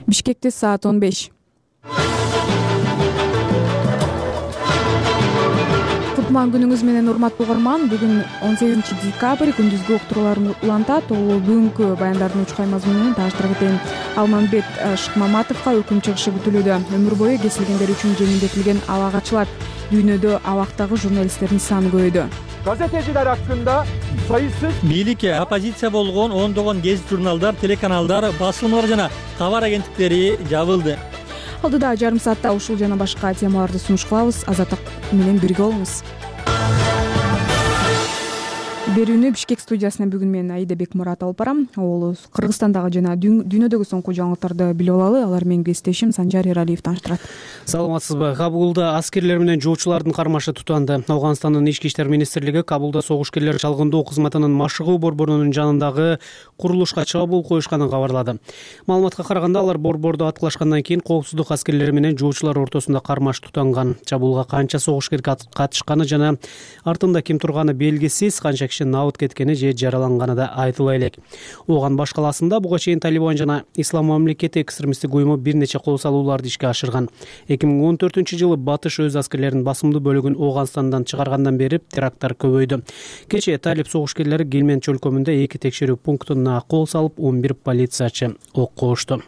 Бишкекте саат 15. Кутман күнүңүз менен урматтуу угарман. Бүгүн 18 декабрь күндүзгү уктуруулар улантат. Ол бүгүнкү баяндардын уч каймасы менен тааныштыра кетейин. Алмамбет Шыкмаматовго өкүм чыгышы күтүлүүдө. Өмүр бою кесилгендер үчүн жеңилдетилген абак ачылат. Дүйнөдө абактагы журналисттердин саны көбөйдү. Gazeteciler hakkında sayısız бийликке оппозиция болгон ондогон гезит журналдар, телеканалдар, басылмалар жана кабар агенттиктери жабылды. Алдыда жарым саатта ушул жана башка темаларды сунуш кылабыз. Азаттык менен бирге болуңуз. Берүүнү Бишкек студиясынан бүгүн мен Аида Бекмурат алып барам. Ол Кыргызстандагы жана дүйнөдөгү соңку жаңылыктарды билип алалы. Алар менин кесиптешим Санжар Эралиев тааныштырат. Саламатсызбы? Кабулда аскерлер менен жоочулардын кармашы тутанды. Афганстандын ички иштер министрлиги Кабулда согушкерлер чалгындоо кызматынын машыгуу борборунун жанындагы курулушка чабуул коюшканын кабарлады. Маалыматка караганда, алар борборду аткылашкандан кийин коопсуздук аскерлери менен жоочулар ортосунда кармаш тутанган. Чабуулга канча согушкер катышканы жана артында ким турганы белгисиз, канча киши набыт кеткени же жараланганы да айтыла элек. Ооган баш калаасында буга чейин Талибан жана Ислам мамлекети экстремисттик уюму бир нече кол салууларды ишке ашырган. 2014-жылы Батыш өз аскерлеринин басымдуу бөлүгүн Ооганстандан чыгаргандан бери теракттар көбөйдү. Кечээ талиб согушкерлери Гелмен чөлкөмүндө 2 текшерүү пунктуна кол салып, 11 полициячы ок кошту.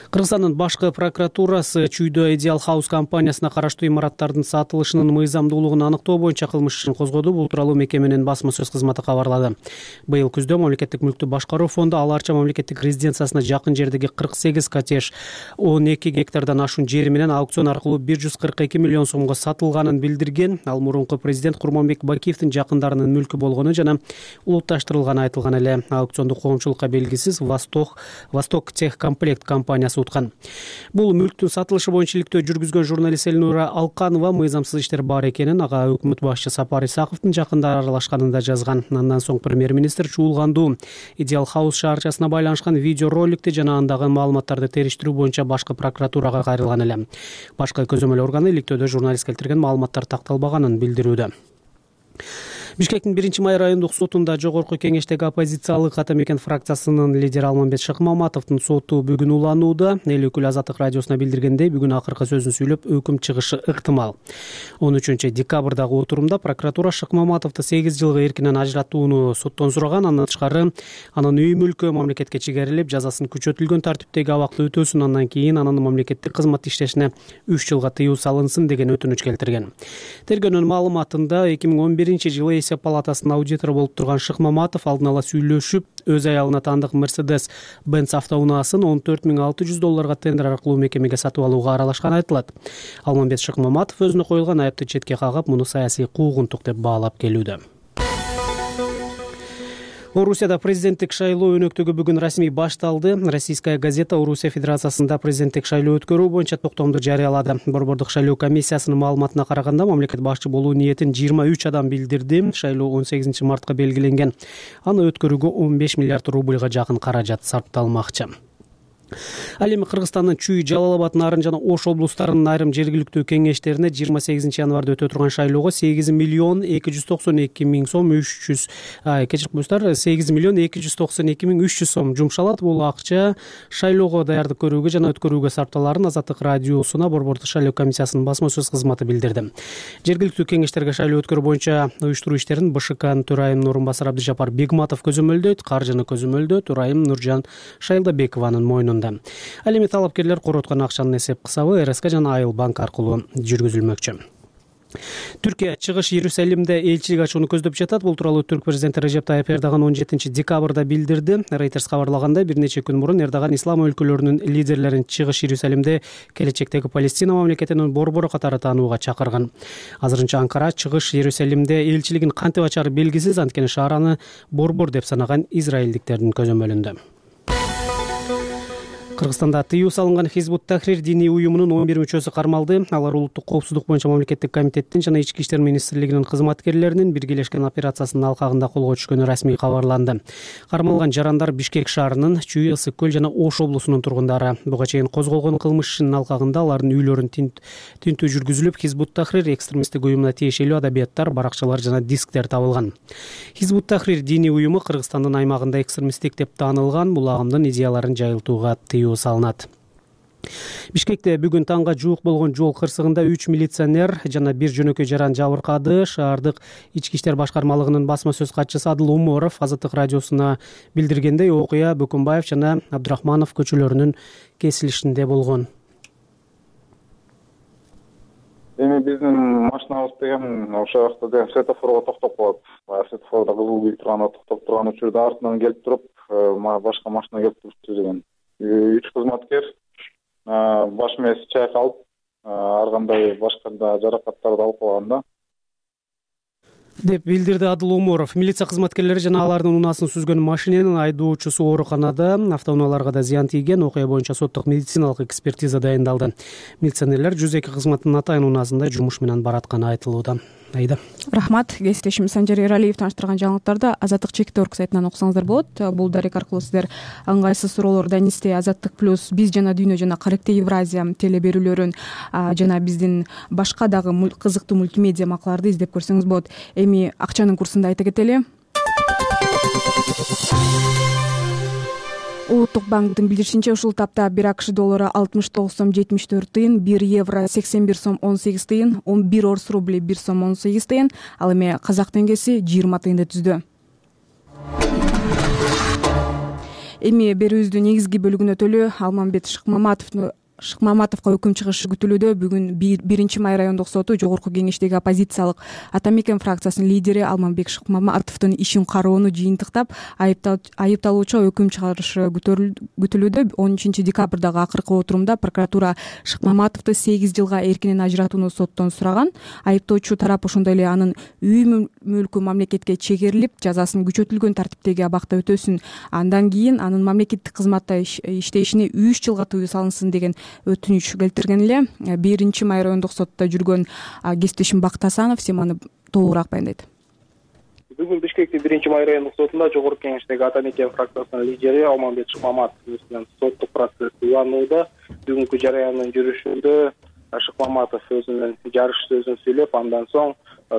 Кыргызстандын башкы прокуратурасы Чүйдө Ideal House компаниясына караштуу имараттардын сатылышынын мыйзамдуулугун аныктоо боюнча кылмыш ишин козгоду. Бул тууралуу мекеменин басма сөз кызматы кабарлады. Быйыл күздө мамлекеттик мүлктү башкаруу фонду Ала Арча мамлекеттик резиденциясына жакын жердеги 48 коттедж 12 гектардан ашуун жери менен аукцион аркылуу 142 миллион сомго сатылганын билдирген. Ал мурунку президент Курманбек Бакиевдин жакындарынын мүлкү болгону жана улутташтырылганы айтылган эле. Аукционду коомчулукка белгисиз Восток Техкомплект компаниясы уткан. Бул мүлктүн сатылышы боюнча иликтөө жүргүзгөн журналист Элнура Алканова мыйзамсыз иштер бар экенин, ага өкмөт башчы Сапар Исаковдун жакындары аралашканын да жазган. Андан соң премьер-министр чуулгандуу Ideal House шаарчасына байланышкан видеороликти жана андагы маалыматтарды териштирүү боюнча башкы прокуратурага кайрылган эле. Башкы көзөмөл органы иликтөөдө журналист келтирген маалыматтар такталбаганын билдирүүдө. Бишкектин 1-май райондук сотунда жогорку кеңештеги оппозициялык ата мекен фракциясынын лидери Алмамбет Шыкмаматовдун соту бүгүн уланууда. Эл өкүлү Азаттык радиосуна билдиргендей, бүгүн акыркы сөзүн сүйлөп, өкүм чыгышы ыктымал. 13 декабрдагы отурумда прокуратура Шыкмаматовду 8 жылга эркинен ажыраттууну соттон сураган. Андан тышкары анын үй мүлкү мамлекетке чегерилип, жазасын күчөтүлгөн тартиптеги абакта өтөсүн, андан кийин анын мамлекеттик кызмат иштешине 3 жылга тыюу салынсын деген өтүнүч келтирген. Тергөөнүн маалыматында 2011-жылы Есеп палатасынын аудитору болуп турган Шыкмаматов алдын ала сүйлөшүп, өз аялына таандык Mercedes-Benz автоунаасын $14,600 тендер аркылуу мекемеге сатып алууга аралашканы айтылат. Алмамбет Шыкмаматов өзүнө коюлган айыпты четке кагып, муну саясий куугунтук деп баалап келүүдө. Орусияда президенттик шайлоо өнөктүгү бүгүн расмий башталды. Российская газета Орусия Федерациясында президенттик шайлоо өткөрүү боюнча токтомду жарыялады. Борбордук шайлоо комиссиясынын маалыматына караганда, мамлекет башчы болуу ниетин 23 адам билдирди. Шайлоо 18 мартка белгиленген. Аны өткөрүүгө 15 миллиард рубльга жакын каражат сарпталмакчы. Ал эми Кыргызстандын Чүй, Жалал-Абад, Нарын жана Ош облустарынын айрым жергиликтүү кеңештерине 28 январда өтө турган шайлоого 8 миллион 292 миң сом 8 миллион 292 миң 300 сом жумшалат. Бул акча шайлоого даярдык көрүүгө жана өткөрүүгө сарпталарын Азаттык радиосуна борбордук шайлоо комиссиясынын басма сөз кызматы билдирди. Жергиликтүү кеңештерге шайлоо өткөрүү боюнча уюштуруу иштерин БШКнын төрайымынын орун басары Абдыжапар Бегматов көзөмөлдөйт, каржыны көзөмөлдөө төрайым Нуржан Шайлдабекованын мойнунда. Ал эми талапкерлер короткон акчанын эсеп кысабы РСК жана Айыл банк аркылуу жүргүзүлмөкчү. Түркия чыгыш Иерусалимде элчилик ачууну көздөп жатат. Бул тууралуу Түрк президенти Режеп Тайып Эрдоган 17 декабрда билдирди. Reuters кабарлагандай, бир нече күн мурун Эрдоган ислам өлкөлөрүнүн лидерлерин чыгыш Иерусалимде келечектеги Палестина мамлекетинин борбору катары таанууга чакырган. Азырынча Анкара чыгыш Иерусалимде элчилигин кантип ачары белгисиз, анткени шаар аны борбор деп санаган израилдиктердин көзөмөлүндө. Кыргызстанда тыюу салынган Хизбут Тахрир диний уюмунун 11 мүчөсү кармалды. Алар улуттук коопсуздук боюнча мамлекеттик комитеттин жана Ички иштер министрлигинин кызматкерлеринин биргелешкен операциясынын алкагында колго түшкөнү расмий кабарланды. Кармалган жарандар Бишкек шаарынын, Чүй, Ысык көл жана Ош облусунун тургундары. Буга чейин козголгон кылмыш ишинин алкагында алардын үйлөрүн тинтүү жүргүзүлүп, Хизбут Тахрир экстремисттик уюмуна тиешелүү адабияттар, баракчалар жана дисктер табылган. Хизбут Тахрир диний уюму Кыргызстандын аймагында экстремисттик деп таанылган. Бул агымдын идеяларын жайылтууга тыюу салынат. Бишкекте бүгүн таңга жуук болгон жол кырсыгында 3 милиционер жана 1 жөнөкөй жаран жабыркады. Шаардык ички иштер башкармалыгынын басма сөз катчысы Адыл Уморов Азаттык радиосуна билдиргендей, окуя Бөкөнбаев жана Абдрахманов көчөлөрүнүн кесилишинде болгон. Эми биздин машинабыз деген ошол жакта деген светофорго токтоп калат. Светофордо кызыл күйүп турганда токтоп турган учурда артынан келип туруп, башка машина келип турупту деген. 3 кызматкер баш мээси чайкалып, ар кандай башка да жаракаттарды алып калган да, деп билдирди Адыл Уморов. Милиция кызматкерлери жана алардын унаасын сүзгөн машиненин айдоочусу ооруканада, автоунааларга да зыян тийген. Окуя боюнча соттук медициналык экспертиза дайындалды. Милиционерлер 102 кызматтын атайын унаасында жумуш менен баратканы айтылууда. Айда. Рахмат. Кесиптешим Санжар Эралиев тааныштырган жаңылыктарды Азаттык.org сайтынан окусаңыздар болот. Бул дарек аркылуу сиздер ыңгайсыз суроолор Данисте, Азаттык плюс, Биз жана Дүйнө жана Каректе Евразия телеберүүлөрүн жана биздин башка дагы кызыктуу мультимедиа макаларды издеп көрсөңүз болот. Эми акчанын курсун да айта кетели. Улуттук банктын билдиришинче, ушул тапта 1 АКШ доллары 69 сом 74 тыйын, 1 евро 81 сом 18 тыйын, 1 орус рубли 1 сом 18 тыйын, ал эми казак теңгеси 20 тыйынды түздү. Эми берүүбүздүн негизги бөлүгүнө өтөлү. Алмамбет Шыкмаматовго өкүм чыгышы күтүлүүдө. Бүгүн 1 май райондук соту жогорку кеңештеги оппозициялык Ата Мекен фракциясынын лидери Алмамбек Шыкмаматовдун ишин кароону жыйынтыктап, айыпталуучу өкүм чыгарышы күтүлүүдө. 10 декабрдагы акыркы отурумда прокуратура Шыкмаматовду 8 жылга эркинен ажыратууну соттон сураган. Айыптоочу тарап ошондой эле анын үй мүлкү мамлекетке чегерилип, жазасын күчөтүлгөн тартиптеги абакта өтөсүн, андан кийин анын мамлекеттик кызматта иштешине 3 жылга тыюу салынсын деген өтүнүч келтирген эле. 1 май райондук сотто жүргөн кесиптешим Бакыт Асанов семаны толугураак баяндайт. Бүгүн Бишкектин 1 май райондук сотунда жогорку кеңештеги Ата Мекен фракциясынын лидери Алмамбет Шыкмаматов менен соттук процесс уланууда. Бүгүнкү жарыяндын жүрүшүндө Шыкмаматов өзүнүн жарыш сөзүн сүйлөп, андан соң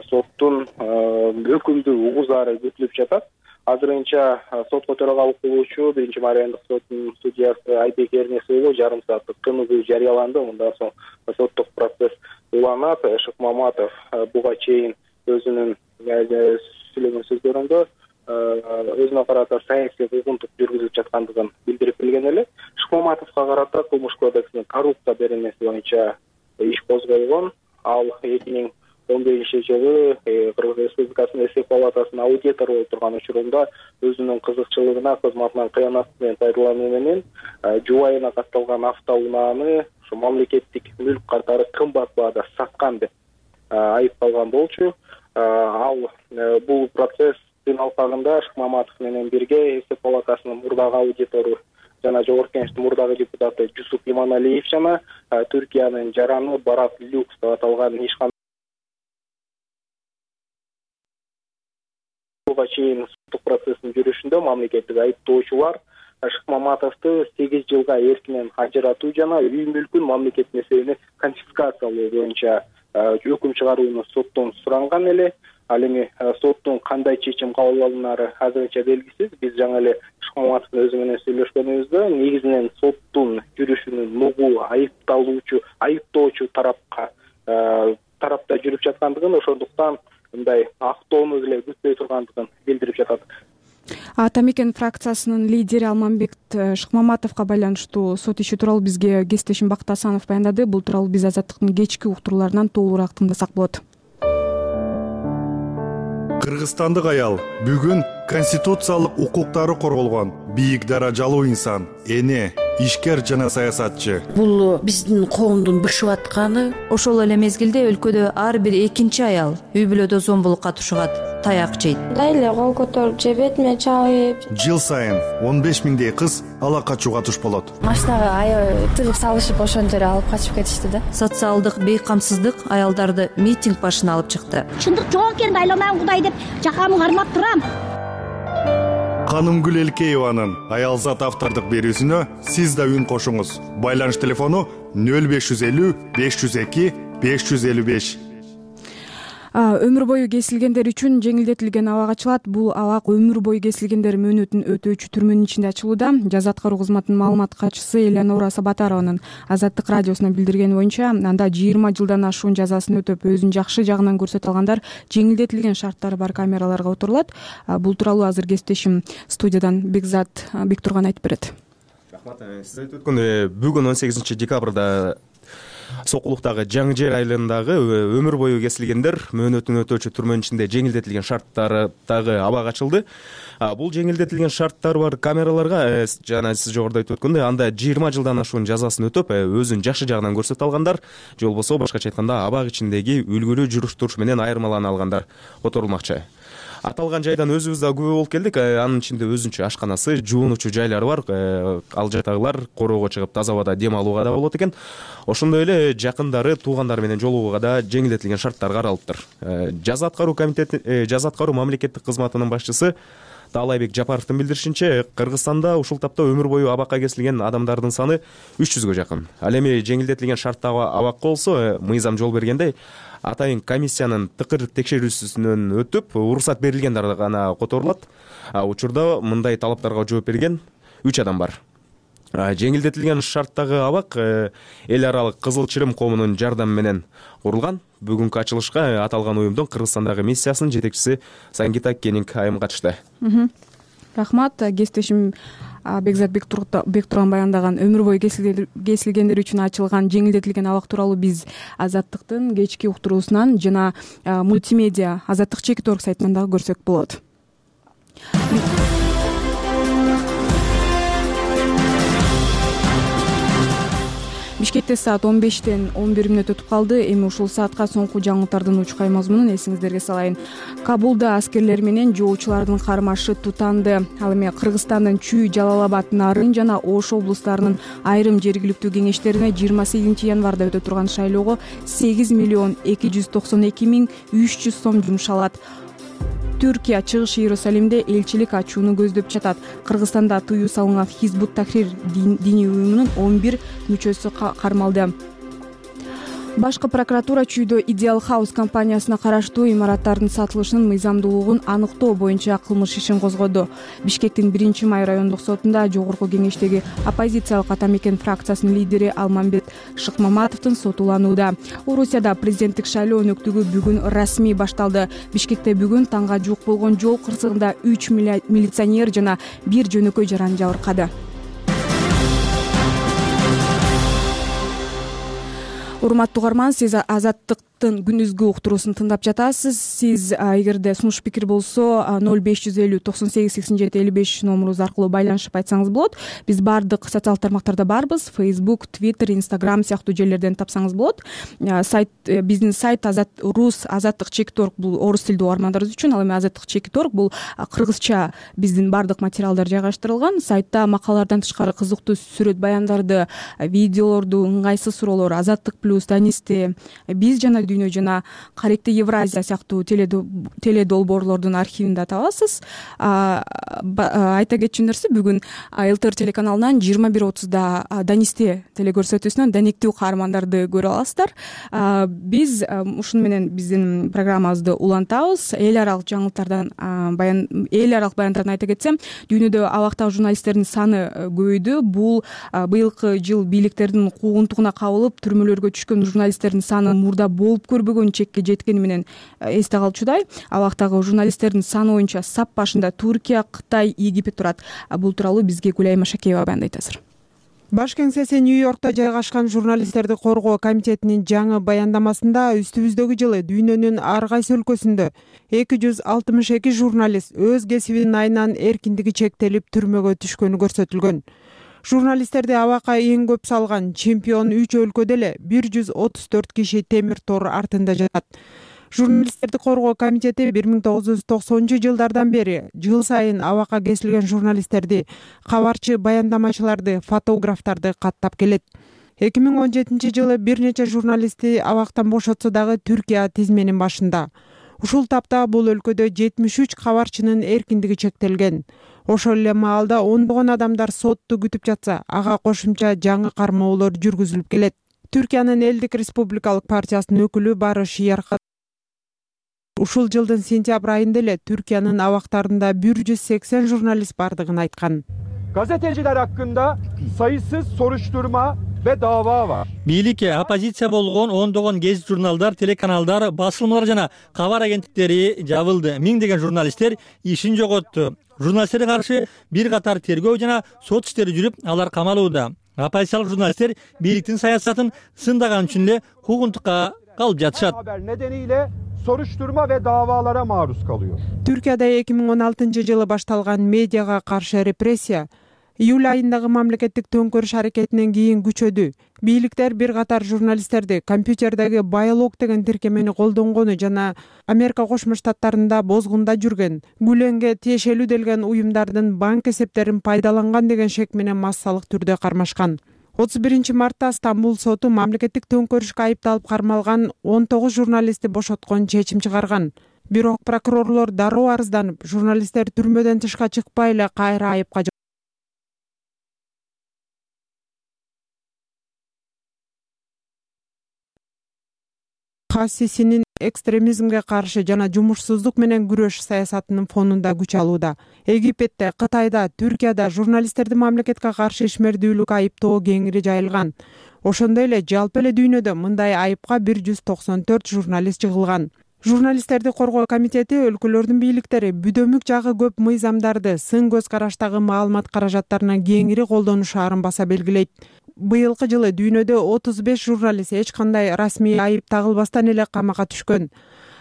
соттун өкүмдү угузаары күтүлүп жатат. Азырынча сотко төрагалык кылуучу 1 май райондук сотунун судьясы Айбек Эрнесов жарым сааттык кынугуу жарыяланды. Мындан соң соттук процесс уланат. Шыкмаматов буга чейин өзүнүн сүйлөгөн сөздөрүндө өзүнө карата саясий куугунтук жүргүзүлүп жаткандыгын билдирип келген эле. Шыкмаматовго карата Кылмыш кодексинин коррупция беренеси боюнча иш козголгон. Ал 2015-жылы Кыргыз Республикасынын Эсеп палатасынын аудитору болуп турган учурунда өзүнүн кызыкчылыгына, кызматынан кыянаттын пайдалануу менен жубайына катталган автоунааны ошо мамлекеттик мүлк катары кымбат баада саткан деп айыпталган болчу. Ал бул процесстин алкагында Шыкмаматов менен бирге Эсеп палатасынын мурдагы аудитору жана жогорку кеңештин мурдагы депутаты Жусуп Иманалиев жана Түркиянын жараны Барат Люкс деп аталган ишкана чейин соттук процесстин жүрүшүндө мамлекеттик айыптоочулар Шыкмаматовду 8 жылга эркинен ажыратуу жана үй мүлкүн мамлекет несебине конфискациялоо боюнча өкүм чыгарууну соттон суранган эле. Ал эми соттун кандай чечим кабыл алынары азырынча белгисиз. Биз жаңы эле Шыкмаматовдун өзү менен сүйлөшкөнүбүздө негизинен соттун жүрүшүнүн нугу айыптоочу тарапта жүрүп жаткандыгын, ошондуктан мындай актоону деле күтпөй тургандыгын билдирип жатат. Ата Мекен фракциясынын лидери Алмамбек Шыкмаматовго байланыштуу сот иши тууралуу бизге кесиптешим Бакыт Асанов баяндады. Бул тууралуу биз Азаттыктын кечки уктурууларынан толугураак тыңдасак болот. Кыргызстандык аял бүгүн конституциялык укуктары корголгон бийик даражалуу инсан, эне, ишкер жана саясатчы. Бул биздин коомдун бышып атканы. Ошол эле мезгилде өлкөдө ар бир экинчи аял үй бүлөдө зомбулукка тушугат. таяк жейт. Мындай эле кол көтөрүп же бетиме чабып. Жыл сайын 15 миңдей кыз ала качууга туш болот. Машинага аябай тыгып салышып ошон жерге алып качып кетишти да. Социалдык бейкамсыздык аялдарды митинг башына алып чыкты. Чындык жок экен, айламайм Кудай деп жакамды кармап турам. Канымгүл Элкееванын Аялзат автордук берүүсүнө сиз да үн кошуңуз. Байланыш телефону 0550 502 555. Өмүр бою кесилгендер үчүн жеңилдетилген абак ачылат. Бул абак өмүр бою кесилгендер мөөнөтүн өтөөчү түрмөнүн ичинде ачылууда. Жаза аткаруу кызматынын маалымат катчысы Элеонора Сабатарованын Азаттык радиосуна билдиргени боюнча, анда 20 жылдан ашуун жазасын өтөп өзүн жакшы жагынан көрсөтө алгандар жеңилдетилген шарттары бар камераларга отурулат. Бул тууралуу азыр кесиптешим студиядан Бекзат Бектурган айтып берет. Рахмат. Сиз айтып өткөндөй, бүгүн 18 декабрда Сокулуктагы Жаңы Жер айылындагы өмүр бою кесилгендер мөөнөтүн өтөөчү түрмөнүн ичинде жеңилдетилген шарттардагы абак ачылды. Бул жеңилдетилген шарттары бар камераларга жана сиз жогоруда айтып өткөндөй, анда 20 жылдан ашуун жазасын өтөп, өзүн жакшы жагынан көрсөтө алгандар, же болбосо башкача айтканда абак ичиндеги үлгүлүү жүрүш-туруш менен айырмалана алгандар отурулмакчы. Аталган жайдан өзүбүз да күбө болуп келдик. Анын ичинде өзүнчө ашканасы, жуунуучу жайлары бар. Ал жактагылар короого чыгып таза абада дем алууга да болот экен. Ошондой эле жакындары, туугандары менен жолугууга да жеңилдетилген шарттар каралыптыр. Жаза аткаруу мамлекеттик кызматынын башчысы Таалайбек Жапаровдун билдиришинче, Кыргызстанда ушул тапта өмүр бою абакка кесилген адамдардын саны 300гө жакын. Ал эми жеңилдетилген шарттагы абакка болсо, мыйзам жол бергендей, атайын комиссиянын тыкыр текшерүүсүнөн өтүп, уруксат берилгендер гана которулат. Учурда мындай талаптарга жооп берген 3 адам бар. Жеңилдетилген шарттагы абак эл аралык Кызыл Чырым коомунун жардамы менен курулган. Бүгүнкү ачылышка аталган уюмдун Кыргызстандагы миссиясынын жетекчиси Сангита Кенинг айым катышты. Рахмат. Кесиптешим Бекзат Бектурган баяндаган өмүр бою кесилгендер үчүн ачылган жеңилдетилген абак тууралуу биз Азаттыктын кечки уктуруусунан жана мультимедиа Азаттык Чекит.орг сайтынан дагы көрсөк болот. Бишкекте саат 15-тен 11 мүнөт өтүп калды. Эми ушул саатка соңку жаңылыктардын учкай мазмунун эсиңиздерге салайын. Кабулда аскерлер менен жоочулардын кармашы тутанды. Ал эми Кыргызстандын Чүй, Жалал-Абад, Нарын жана Ош облустарынын айрым жергиликтүү кеңештерине 28 январда өтө турган шайлоого 8 миллион 292 миң 300 сом жумшалат. Түркия Чыгыш Иерусалимде элчилик ачууну көздөп жатат. Кыргызстанда тыюу салынган Хизбут Тахрир диний уюмунун 11 мүчөсү кармалды. Башкы прокуратура Чүйдө Ideal House компаниясына караштуу имараттардын сатылышынын мыйзамдуулугун аныктоо боюнча кылмыш ишин козгоду. Бишкектин 1-май райондук сотунда жогорку кеңештеги оппозициялык Атамекен фракциясынын лидери Алмамбет Шыкмаматовдун соту уланууда. Орусияда президенттик шайлоо өнөктүгү бүгүн расмий башталды. Бишкекте бүгүн таңга жуук болгон жол кырсыгында 3 милиционер жана 1 жөнөкөй жаран жабыркады. Урматтуу угарман, сиз Азаттыктын күндүзгү уктуруусун тыңдап жатасыз. Сиз эгерде сунуш пикир болсо 0550 98 87 55 номурубуз аркылуу байланышып айтсаңыз болот. Биз бардык социалдык тармактарда барбыз. Facebook, Twitter, Instagram сыяктуу жерлерден тапсаңыз болот. Биздин сайт Рус Азаттык Чекит.орг бул орус тилдүү угармандарыбыз үчүн, ал эми Азаттык Чекит.орг бул кыргызча биздин бардык материалдар жайгаштырылган. Сайтта макалалардан тышкары кызыктуу сүрөт баяндарды, видеолорду, ыңгайсыз суроолор, Азаттык плюс, Данисте, биз жана дүйнө жана Каректи Евразия сыяктуу теледолбоорлордун архивинде табасыз. Айта кетчү нерсе, бүгүн ЛТР телеканалынан 21:30да Данисте телекөрсөтүүсүнөн даниктүү каармандарды көрө аласыздар. Биз ушуну менен биздин программабызды улантабыз. Эл аралык жаңылыктардан эл аралык баяндарын айта кетсем, дүйнөдө абактагы журналисттердин саны көбөйдү. Бул быйылкы жыл бийликтердин куугунтугуна кабылып түрмөлөргө түшкөн журналисттердин саны мурда болуп көрбөгөн чекке жеткени менен эсте калчудай. Абактагы журналисттердин саны боюнча сап башында Түркия, Кытай, Египет турат. Бул тууралуу бизге Гүлай Машакеева баяндайт азыр. Баш кеңсеси Нью-Йоркто жайгашкан журналисттерди коргоо комитетинин жаңы баяндамасында үстүбүздөгү жылы дүйнөнүн ар кайсы өлкөсүндө 262 журналист өз кесибинин айынан эркиндиги чектелип түрмөгө түшкөнү көрсөтүлгөн. Журналисттерди абакка эң көп салган чемпион 3 өлкөдө эле 134 киши темир тор артында жатат. Журналисттерди коргоо комитети 1990-жылдардан бери жыл сайын абакка кесилген журналисттерди, кабарчы баяндамачыларды, фотографтарды каттап келет. 2017-жылы бир нече журналистти абактан бошотсо дагы Түркия тизменин башында. Ушул тапта бул өлкөдө 73 кабарчынын эркиндиги чектелген. Ошол эле маалда ондогон адамдар сотту күтүп жатса, ага кошумча жаңы кармоолор жүргүзүлүп келет. Түркиянын Элдик Республикалык партиясынын өкүлү Барыш Ярка ушул жылдын сентябрь айында эле Түркиянын абактарында 180 журналист бардыгын айткан. Gazeteciler hakkında sayısız soruşturma ve dava var. Бийлик, оппозиция болгон ондогон гезит журналдар, телеканалдар, басылмалар жана кабар агенттиктери жабылды. Миңдеген журналисттер ишин жоготту. Журналисттерге каршы бир катар тергөө жана сот иштери жүрүп, алар камалууда. Оппозициялык журналисттер бийликтин саясатын сындаган үчүн эле куугунтукка калып жатышат. Haber nedeniyle soruşturma ve davalara maruz kalıyor. Түркияда 2016-жылы башталган медиага каршы репрессия июль айындагы мамлекеттик төңкөрүш аракетинен кийин күчөдү. Бийликтер бир катар журналисттерди компьютердеги байлог деген тиркемени колдонгону жана Америка Кошмо Штаттарында бозгунда жүргөн, Гүленге тиешелүү делген уюмдардын банк эсептерин пайдаланган деген шек менен массалык түрдө кармашкан. 31 мартта Стамбул соту мамлекеттик төңкөрүшкө айыпталып кармалган 19 журналистти бошоткон чечим чыгарган. Бирок прокурорлор дароо арызданып, журналисттер түрмөдөн тышка чыкпай эле кайра айыпка Хассисинин экстремизмге каршы жана жумушсуздук менен күрөш саясатынын фонунда күч алууда. Египетте, Кытайда, Түркияда журналисттерди мамлекетке каршы ишмердүүлүк айыптоо кеңири жайылган. Ошондой эле жалпы эле дүйнөдө мындай айыпка 194 журналист жыгылган. Журналисттерди коргоо комитети өлкөлөрдүн бийликтери бүдөмүк жагы көп мыйзамдарды сын көз караштагы маалымат каражаттарына кеңири колдонушаарын баса белгилейт. Быйылкы жылы дүйнөдө 35 журналист эч кандай расмий айып тагылбастан эле камакка түшкөн.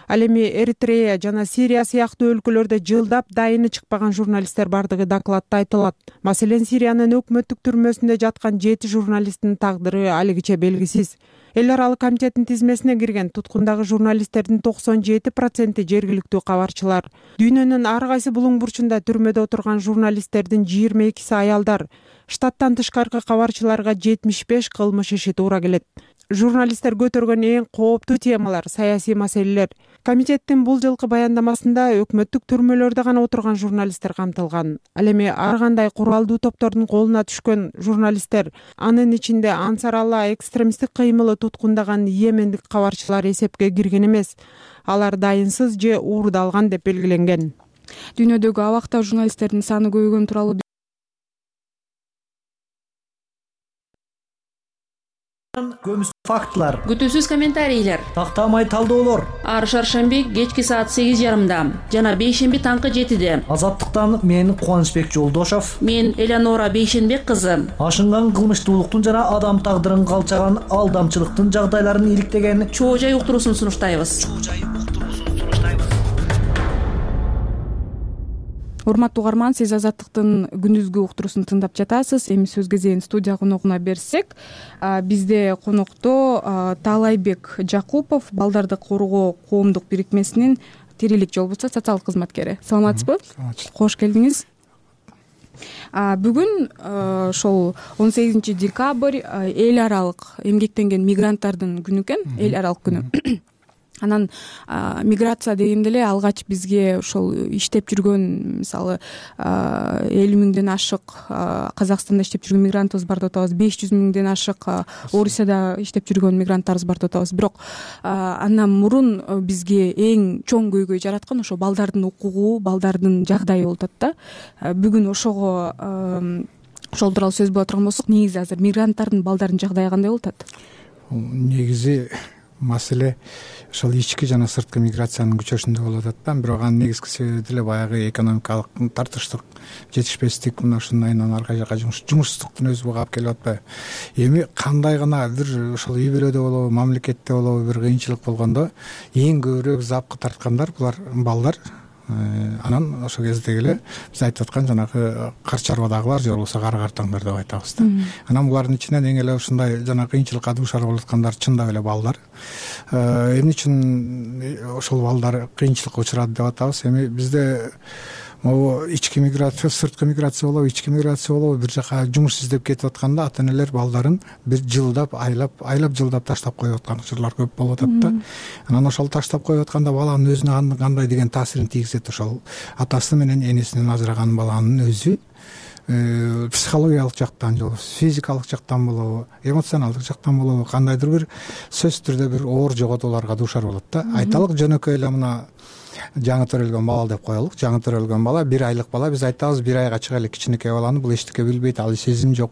Ал эми Эритрея жана Сирия сыяктуу өлкөлөрдө жылдап дайыны чыкпаган журналисттер бардыгы докладта айтылат. Маселен, Сириянын өкмөттүк түрмөсүндө жаткан 7 журналисттин тагдыры алигиче белгисиз. Эл аралык комитеттин тизмесине кирген туткундагы журналисттердин 97% жергиликтүү кабарчылар. Дүйнөнүн ар кайсы булуң бурчунда түрмөдө отурган журналисттердин 22си аялдар. Штаттан тышкаркы кабарчыларга 75 кылмыш иши туура келет. Журналисттер көтөргөн эң кооптуу темалар саясий маселелер. Комитеттин бул жылкы баяндамасында өкмөттүк түрмөлөрдө гана отурган журналисттер камтылган. Ал эми ар кандай куралдуу топтордун колуна түшкөн журналисттер, анын ичинде Ансар Алла экстремисттик кыймылы туткундаган йемендик кабарчылар эсепке кирген эмес. Алар дайынсыз же уурдалган деп белгиленген. Дүйнөдөгү абакта журналисттердин саны көбөйгөнү тууралуу көмүс фактылар, күтүүсүз комментарийлер, тактамай талдоолор ар шаршемби кечки саат 8:30 жана бейшемби таңкы 7-де. Азаттыктан мен Кубанычбек Жолдошов, мен Элеонора Бейшенбек кызы. Ашынган кылмыштуулуктун жана адам тагдырын калчаган алдамчылыктын жагдайларын иликтеген чоо жай уктуруусун сунуштайбыз. Урматтуу угарман, сиз Азаттыктын күндүзгү уктуруусун тыңдап жатасыз. Эми сөз кезегин студия коногуна берсек, бизде конокто Таалайбек Жакупов, балдарды коргоо коомдук бирикмесинин Тирилик жолбусу социалдык кызматкери. Саламатсызбы? Кош келдиңиз. Бүгүн ошол 18 декабрь эл аралык эмгектенген мигранттардын күнү экен, эл аралык күнү. Анан миграция дегенде эле алгач бизге ошол иштеп жүргөн, мисалы 50 миңден ашык Казакстанда иштеп жүргөн мигрантыбыз бар деп атабыз, 500 миңден ашык Орусияда иштеп жүргөн мигранттарыбыз бар деп атабыз. Бирок андан мурун бизге эң чоң көйгөй жараткан ошо балдардын укугу, балдардын жагдайы болуп атат да. Бүгүн ошого ошол тууралуу сөз боло турган болсок, негизи азыр мигранттардын балдардын жагдайы кандай болуп атат? Негизи маселе ошол ички жана сырткы миграциянын күчөшүндө болуп атат да. Бирок анын негизги себеби деле баягы экономикалык тартыштык, жетишпестик, мына ушундан арка жака жумушсуздуктун өзү буга алып келип атпайбы? Эми кандай гана бир ошол үй бүлөдө болобу, мамлекетте болобу бир кыйынчылык болгондо эң көбүрөөк запкы тарткандар булар балдар. Анан ошол кездеги эле биз айтып аткан жанагы кар чарбадагылар же болбосо кара картаңдар деп айтабыз да. Анан булардын ичинен эң эле ушундай жана кыйынчылыкка дуушар болуп аткандар чындап эле балдар. Эмне үчүн ошол балдар кыйынчылыкка учурады деп атабыз? Эми бизде могу ички миграция, сырткы миграция болобу, ички миграция болобу, бир жака жумуш издеп кетип атканда ата-энелер балдарын бир жылдап, айлап жылдап таштап коюп аткан учурлар көп болуп атат да. Анан ошол таштап коюп атканда баланын өзүнө кандай деген таасирин тийгизет? Ошол атасы менен энесинен ажыраган баланын өзү психологиялык жактан же болбосо физикалык жактан болобу, эмоционалдык жактан болобу, кандайдыр бир сөзсүз түрдө бир оор жоготууларга дуушар болот да. Айталык жөнөкөй эле мына жаңы төрөлгөн бала деп коелук. Жаңы төрөлгөн бала 1 айлык бала, биз айтабыз 1 айга чыга эле кичинекей баланы бул эчтеке билбейт, ал сезим жок,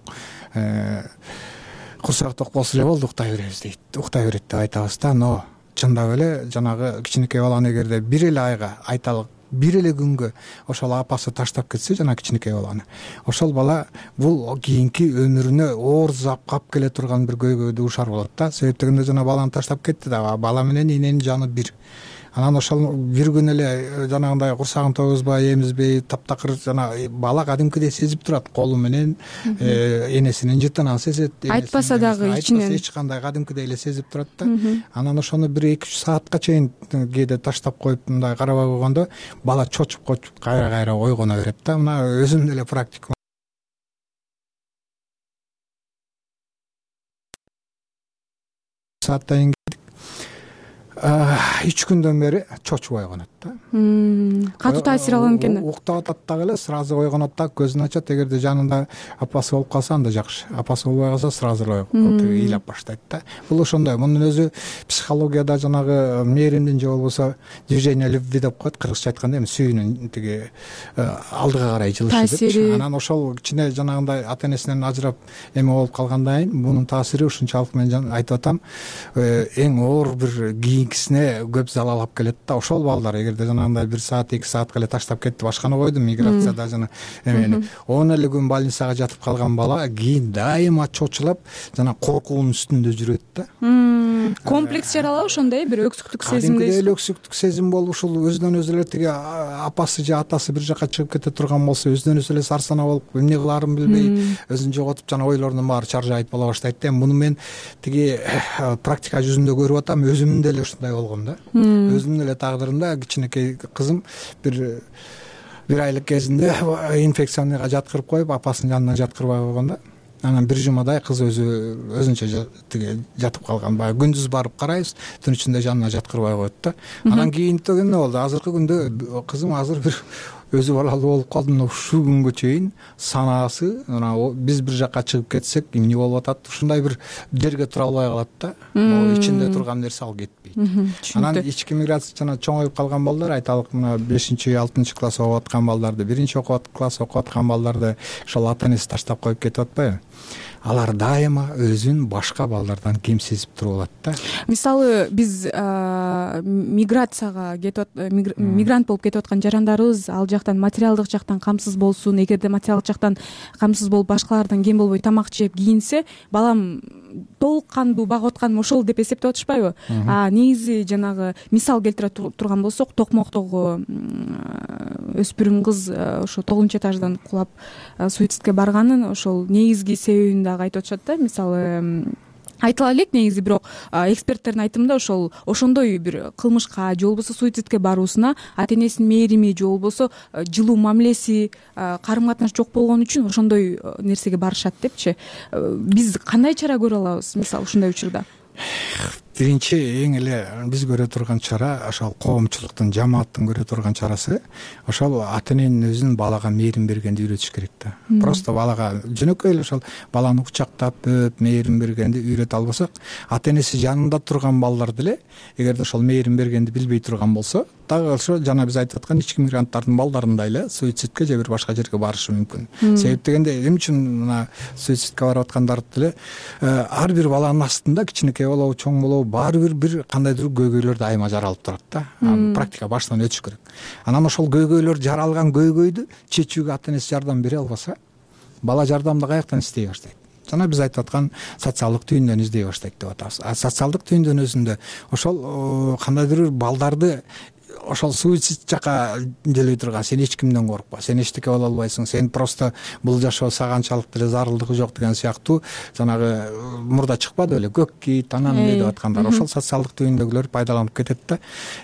курсак ток болсо эле болду, уктай беребиз дейт, уктай берет деп айтабыз да. Но чындап эле жанагы кичинекей баланы эгерде 1 эле айга, айталык 1 эле күнгө ошол апасы таштап кетсе жана кичинекей баланы, ошол бала бул кийинки өмүрүнө оор кап келе турган бир көйгөйгө дуушар болот да. Себеп дегенде жана баланы таштап кетти да, бала менен эненин жаны бир. Анан ошол бир күн эле жанагындай курсагын тойгузбай, эмизбей, таптакыр жана бала кадимкидей сезип турат, колу менен энесинин жытынан сезет. Айтпаса дагы ичинен эч кандай кадимкидей эле сезип турат да. Анан ошону 1-2-3 саатка чейин кээде таштап коюп мындай карабай койгондо бала чочуп кайра ойгоно берет да. Мына өзүмдүн эле практикам. Сааттан 3 күндөн бери чочуп ойгонот да. Катуу таасир алган экен. Уктап атат дагы эле, сразу ойгонот да, көзүн ачат. Эгерде жанында апасы болуп калса анда жакшы. Апасы болбой калса сразу ыйлап баштайт да. Бул ошондой. Мунун өзү психологияда жанагы мээримдин же болбосо движение любви деп коет, кыргызча айтканда, эми сүйүүнүн тиги алдыга карай жылышы деп. Анан ошол кичине жанагындай ата-энесинен ажырап эме болуп калгандан кийин мунун таасири ушунчалык мен айтып атам, эң оор бир кийинкисине көп залал алып келет да. Ошол балдар эгерде жанагындай 1 саат 2 саатка эле таштап кетти, башканы койду, миграцияда жана эмени 10 эле күн больницага жатып калган бала кийин дайыма чочулап жана коркуунун үстүндө жүрөт да. Комплекс жаралабы ошондой, бир өксүктүк сезимдей. Кадимки өксүктүк сезим болуп, ушул өзүнөн өзү эле тиги апасы же атасы бир жака чыгып кете турган болсо, өзүнөн өзү эле сарсана болуп, эмне кылаарын билбей, өзүн жоготуп, жана ойлорунун баары чаржайып боло баштайт да. Муну мен тиги практика жүзүндө көрүп атам, өзүмдүн деле ушундай болгон да. Өзүмдүн эле тагдырымда кичинекей кызым бир айлык кезинде инфекционныйга жаткырып коюп, апасынын жанына жаткырбай койгон да. Анан 1 жумадай кыз өзүнчө тиги жатып калган. Баягы күндүз барып карайбыз, түн ичинде жанына жаткырбай коет да. Анан кийин деген эмне болду? Азыркы күндө кызым азыр бир өзү балалуу болуп калды. Мына ушул күнгө чейин санаасы, мына биз бир жака чыгып кетсек эмне болуп атат? Ушундай бир жерге тура албай калат да. Могу ичинде турган нерсе ал кетпейт. Анан ички миграция жана чоңоюп калган балдар, айталык мына 5-6 класс окуп аткан балдарды, 1-класс окуп аткан балдарды ошол ата-энеси таштап коюп кетип атпайбы? Алар дайыма өзүн башка балдардан кем сезип туруп алат да. Мисалы биз миграцияга кетип мигрант болуп кетип аткан жарандарыбыз ал жактан материалдык жактан камсыз болсун, эгерде материалдык жактан камсыз болуп башкалардан кем болбой тамак жеп кийинсе, балам толук кандуу багып атканым ошол деп эсептеп атышпайбы? Негизи жанагы мисал келтире турган болсок, Токмоктогу өспүрүм кыз ошо 9-этаждан кулап суицидке барганын ошол негизги себебин дагы айтып атышат да. Мисалы айтыла элек негизи, бирок эксперттердин айтымында ошондой бир кылмышка же болбосо суицидке баруусуна ата-энесинин мээрими же болбосо жылуу мамилеси, карым-катнаш жок болгон үчүн ошондой нерсеге барышат депчи. Биз кандай чара көрө алабыз мисалы ушундай учурда? Биринчи эң эле биз көрө турган чара, ошол коомчулуктун, жамааттын көрө турган чарасы, ошол ата-эненин өзүнүн балага мээрим бергенди үйрөтүш керек да. Просто балага жөнөкөй эле ошол баланы кучактап, өп, мээрим бергенди үйрөтө албасак, ата-энеси жанында турган балдар деле эгерде ошол мээрим бергенди билбей турган болсо, дагы ошо жана биз айтып аткан ички мигранттардын балдарындай эле суицидке же бир башка жерге барышы мүмкүн. Себеп дегенде эмне үчүн мына суицидке барып аткандарды деле ар бир баланын астында кичинекей болобу, чоң болобу, баары бир кандайдыр көйгөйлөр дайыма жаралып турат да. Практика баштан өтүш керек. Анан ошол көйгөйлөр, жаралган көйгөйдү чечүүгө ата-энеси жардам бере албаса, бала жардамды каяктан издей баштайт? Жана биз айтып аткан социалдык түйүндөн издей баштайт деп атабыз. Социалдык түйүндөн өзүндө ошол кандайдыр бир балдарды ошол суицид жака делбей турган сен эч кимден коркпа, сен эчтеке боло албайсың, сен просто бул жашоо сага канчалык деле зарылдыгы жок деген сыяктуу жанагы мурда чыкпады беле көк кит анан эмне деп аткандар, ошол социалдык түйүндөгүлөр пайдаланып кетет да.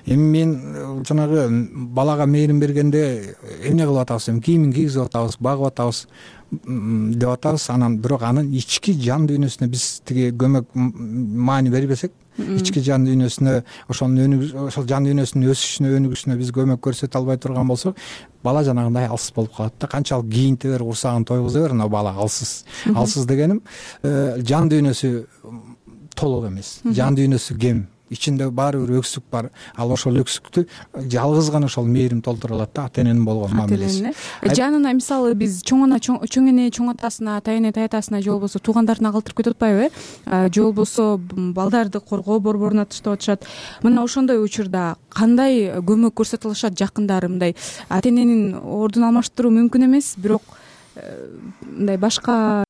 Эми мен жанагы балага мээрим бергенде эмне кылып атабыз, кийимин кийгизип атабыз, багып атабыз деп атабыз, анан бирок анын ички жан дүйнөсүнө биз тиги көмөк маани бербесек, ички жан дүйнөсүнө ошол жан дүйнөсүнүн өсүшүнө өнүгүшүнө биз көмөк көрсөтө албай турган болсок, бала жанагындай алсыз болуп калат да. Канчалык кийинте бер, курсагын тойгуза бер, но бала алсыз. Алсыз дегеним жан дүйнөсү толук эмес, жан дүйнөсү кем, ичинде баары бир өксүк бар. Ал ошол өксүктү жалгыз гана ошол мээрим толтура алат да, ата эненин болгон мамилеси. Жанына мисалы биз чоң эне чоң атасына, ата эне таятасына же болбосо туугандарына калтырып кетип атпайбы, же болбосо балдарды коргоо борборуна таштап атышат. Мына ошондой учурда кандай көмөк көрсөтө алышат жакындары? Мындай ата эненин ордун алмаштыруу мүмкүн эмес, бирок мындай башка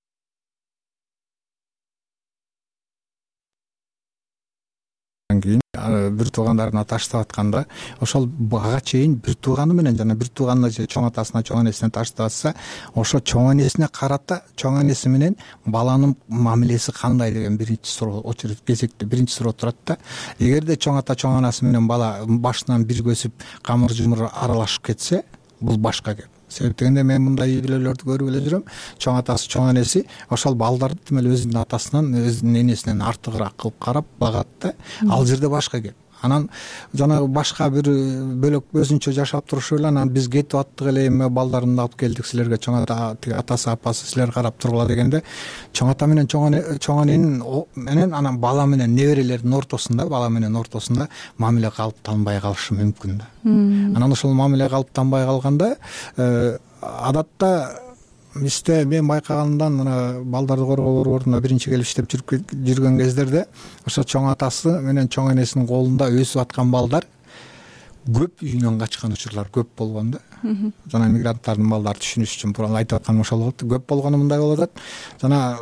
кийин бир туугандарына таштап атканда, ошол ага чейин бир тууганы менен жана бир тууганына же чоң атасына, чоң энесине таштап атса, ошо чоң энесине карата чоң энеси менен баланын мамилеси кандай деген биринчи суроо, очередь кезекте биринчи суроо турат да. Эгерде чоң ата чоң анасы менен бала башынан бир көсүп камыр жумур аралашып кетсе, бул башка кеп. Себеп дегенде мен мындай үй бүлөлөрдү көрүп эле жүрөм. Чоң атасы, чоң энеси ошол балдарды демек өзүнүн атасынан, өзүнүн энесинен артыгыраак кылып карап багат да. Ал жерде башка кеп. Анан жанагы башка бир бөлөк өзүнчө жашап турушу эле, анан биз кетип аттык эле, эми балдарын алып келдик силерге, чоң ата, тиги атасы, апасы силер карап тургула дегенде, чоң ата менен чоң эненин менен анан бала менен неберелердин ортосунда, бала менен ортосунда мамиле калыптанбай калышы мүмкүн да. Анан ошол мамиле калыптанбай калганда адатта бизде мен байкаганымдан мына балдарды коргоо борборуна биринчи келип иштеп жүргөн кездерде ошо чоң атасы менен чоң энесинин колунда өсүп аткан балдар көп үйүнөн качкан учурлар көп болгон да. Жана мигранттардын балдары түшүнүш үчүн буран айтып атканым ошол болот. Көп болгону мындай болуп атат. Жана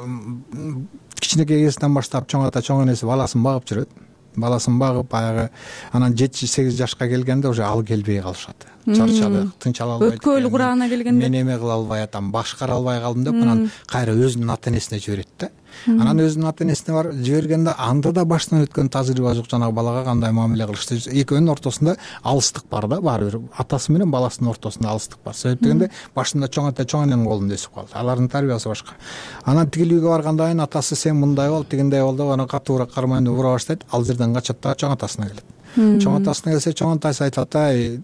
кичинекей кезинен баштап чоң ата чоң энеси баласын багып жүрөт. Баласын багып баягы анан 7-8 жашка келгенде уже ал келбей калышат. Чарчадык, тынчала албайт. Өткөл курагына келгенде мен эме кыла албай атам, башкара албай калдым деп анан кайра өзүнүн ата энесине жиберет да. Анан өзүнүн ата энесине бар жибергенде анда да баштан өткөн тажрыйба жок, жанагы балага кандай мамиле кылышты. Экөөнүн ортосунда алыстык бар да, баары бир атасы менен баласынын ортосунда алыстык бар. Себеп дегенде башында чоң ата чоң эненин колунда өсүп калды. Алардын тарбиясы башка. Анан тигил үйгө баргандан кийин атасы сен мындай бол, тигиндей бол деп анан катуураак кармайын деп ура баштайт. Ал жерден качат да чоң атасына келет. Чоң атасына келсе чоң атасы айтат,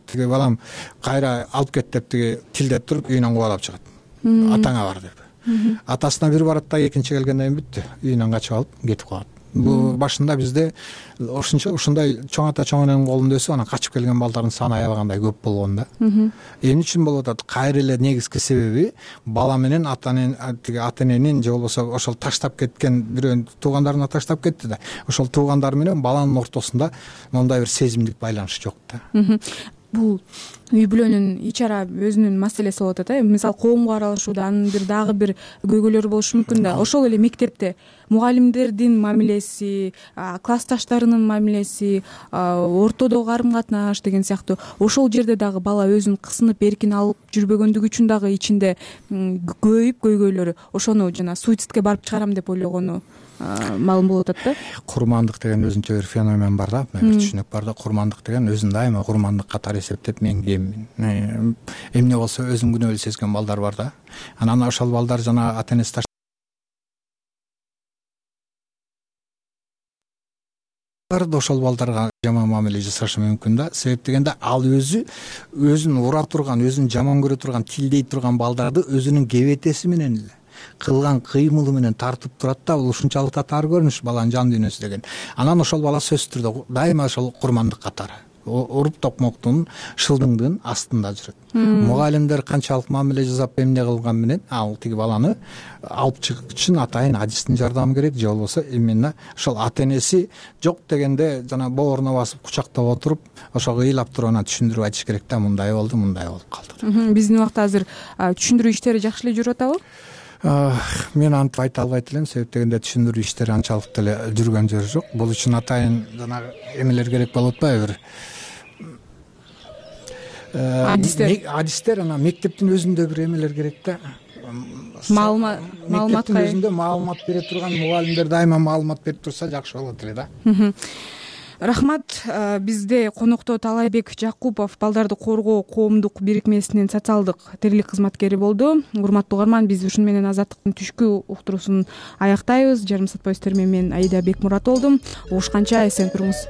тиги балам кайра алып кет деп тиги тилдеп туруп үйүнөн кубалап чыгат. Атаңа бар деп. Атасына бир барат да экинчи келгенден кийин бүттү. Үйүнөн качып алып кетип калат. Бул башында бизде ушундай чоң ата чоң эненин колунда өсүп анан качып келген балдардын саны аябагандай көп болгон да. Эмне үчүн болуп атат? Кайра эле негизги себеби бала менен ата эненин же болбосо ошол таштап кеткен бирөөнүн туугандарына таштап кетти да. Ошол туугандар менен баланын ортосунда мондай бир сезимдик байланыш жок да. Бул үй бүлөнүн ич ара өзүнүн маселеси болуп атат. Мисалы коомго аралашууда анын дагы бир көйгөйлөрү болушу мүмкүн да. Ошол эле мектепте мугалимдердин мамилеси, классташтарынын мамилеси, ортодогу карым катнаш деген сыяктуу ошол жерде дагы бала өзүн кысынып эркин алып жүрбөгөндүгү үчүн дагы ичинде көйүп көйгөйлөрү ошону жана суицидке барып чыгарам деп ойлогону маалым болуп атат да. Курмандык деген өзүнчө бир феномен бар да, бир түшүнүк бар да. Курмандык деген өзүн дайыма курмандык катары эсептеп мен кеммин. Эмне болсо өзүн күнөөлүү сезген балдар бар да. Анан ошол балдар жана ата энеси ошол балдарга жаман мамиле жасашы мүмкүн да. Себеп дегенде ал өзүн ура турган, өзүн жаман көрө турган, тилдей турган балдарды өзүнүн кебетеси менен эле кылган кыймылы менен тартып турат да. Бул ушунчалык татаар көрүнүш баланын жан дүйнөсү деген. Анан ошол бала сөзсүз түрдө дайыма ошол курмандык катары уруп токмоктун шылдыңдын астында жүрөт. Мугалимдер канчалык мамиле жасап эмне кылган менен ал тиги баланы алып чыгыш үчүн атайын адистин жардамы керек, же болбосо именно ошол ата энеси жок дегенде жана бооруна басып кучактап отуруп ошого ыйлап туруп анан түшүндүрүп айтыш керек да, мындай болду, мындай болуп калды. Биздин убакта азыр түшүндүрүү иштери жакшы эле жүрүп атабы? Мен антип айта албайт элем, себеп дегенде түшүндүрүү иштери анчалык деле жүргөн жери жок. Бул үчүн атайын жанагы эмелер керек болуп атпайбы, бир адистер анан мектептин өзүндө бир эмелер керек да. Мектептин өзүндө маалымат бере турган мугалимдер дайыма маалымат берип турса жакшы болот эле да. Рахмат. Бизде конокто Талайбек Жакупов, балдарды коргоо коомдук бирикмесинин социалдык тирилик кызматкери болду. Урматтуу угарман, биз ушуну менен Азаттыктын түшкү уктуруусун аяктайбыз. Жарым саат бою сиздер менен мен Аида Бекмурат болдум. Угушканча эсен туруңуз.